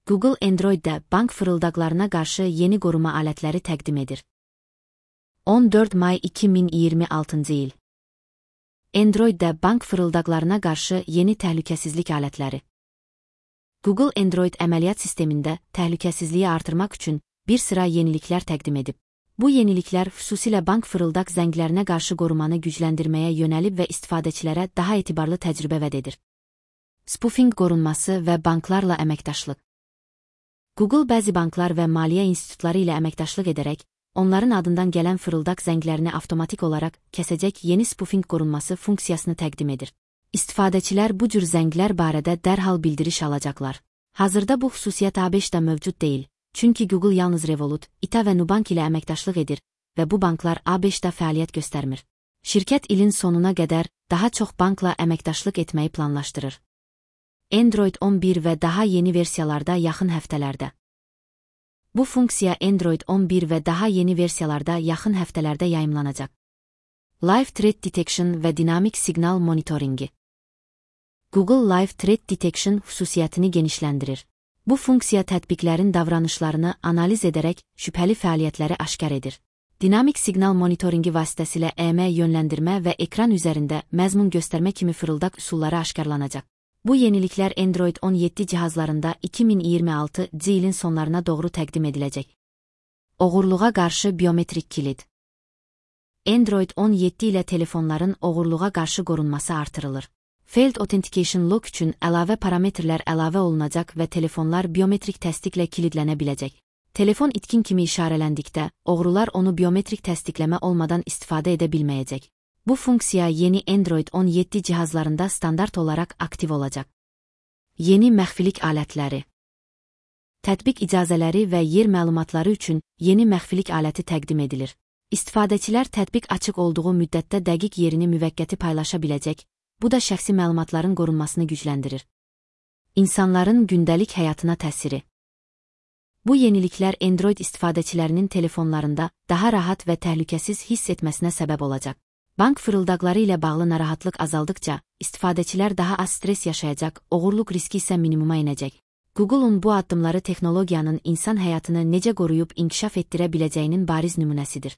Google Android'də bank fırıldaqlarına qarşı yeni qoruma alətləri təqdim edir. 14 may 2026 il. Androiddə bank fırıldaqlarına qarşı yeni təhlükəsizlik alətləri. Google Android əməliyyat sistemində təhlükəsizliyi artırmaq üçün bir sıra yeniliklər təqdim edib. Bu yeniliklər xüsusilə bank fırıldaq zənglərinə qarşı qorumanı gücləndirməyə yönəlib və istifadəçilərə daha etibarlı təcrübə vəd edir. Spoofing qorunması və banklarla əməkdaşlıq. Google bəzi banklar və maliyyə institutları ilə əməkdaşlıq edərək, onların adından gələn fırıldaq zənglərini avtomatik olaraq kəsəcək yeni spoofing qorunması funksiyasını təqdim edir. İstifadəçilər bu cür zənglər barədə dərhal bildiriş alacaqlar. Hazırda bu xüsusiyyət ABŞ-da mövcud deyil, çünki Google yalnız Revolut, ITA və Nubank ilə əməkdaşlıq edir və bu banklar ABŞ-da fəaliyyət göstərmir. Şirkət ilin sonuna qədər daha çox bankla əməkdaşlıq etməyi planlaşdırır. Android 11 və daha yeni versiyalarda yaxın həftələrdə. Bu funksiya Android 11 və daha yeni versiyalarda yaxın həftələrdə yayımlanacaq. Live Threat Detection və dinamik siqnal monitoringi. Google Live Threat Detection xüsusiyyətini genişləndirir. Bu funksiya tətbiqlərin davranışlarını analiz edərək şübhəli fəaliyyətləri aşkar edir. Dinamik siqnal monitoringi vasitəsilə EM yönləndirmə və ekran üzərində məzmun göstərmə kimi fırıldaq üsulları aşkarlanacaq. Bu yeniliklər Android 17 cihazlarında 2026 ilin sonlarına doğru təqdim ediləcək. Oğurluğa qarşı biometrik kilid. Android 17 ilə telefonların oğurluğa qarşı qorunması artırılır. Failed Authentication Lock üçün əlavə parametrlər əlavə olunacaq və telefonlar biometrik təsdiqlə kilidlənə biləcək. Telefon itkin kimi işarələndikdə, oğrular onu biometrik təsdiqləmə olmadan istifadə edə bilməyəcək. Bu funksiya yeni Android 17 cihazlarında standart olaraq aktiv olacaq. Yeni məxfilik alətləri. Tətbiq icazələri və yer məlumatları üçün yeni məxfilik aləti təqdim edilir. İstifadəçilər tətbiq açıq olduğu müddətdə dəqiq yerini müvəqqəti paylaşa biləcək, bu da şəxsi məlumatların qorunmasını gücləndirir. İnsanların gündəlik həyatına təsiri. Bu yeniliklər Android istifadəçilərinin telefonlarında daha rahat və təhlükəsiz hiss etməsinə səbəb olacaq. Bank fırıldaqları ilə bağlı narahatlıq azaldıqca, istifadəçilər daha az stres yaşayacaq, oğurluq riski isə minimuma inəcək. Google'un bu addımları texnologiyanın insan həyatını necə qoruyub inkişaf etdirə biləcəyinin bariz nümunəsidir.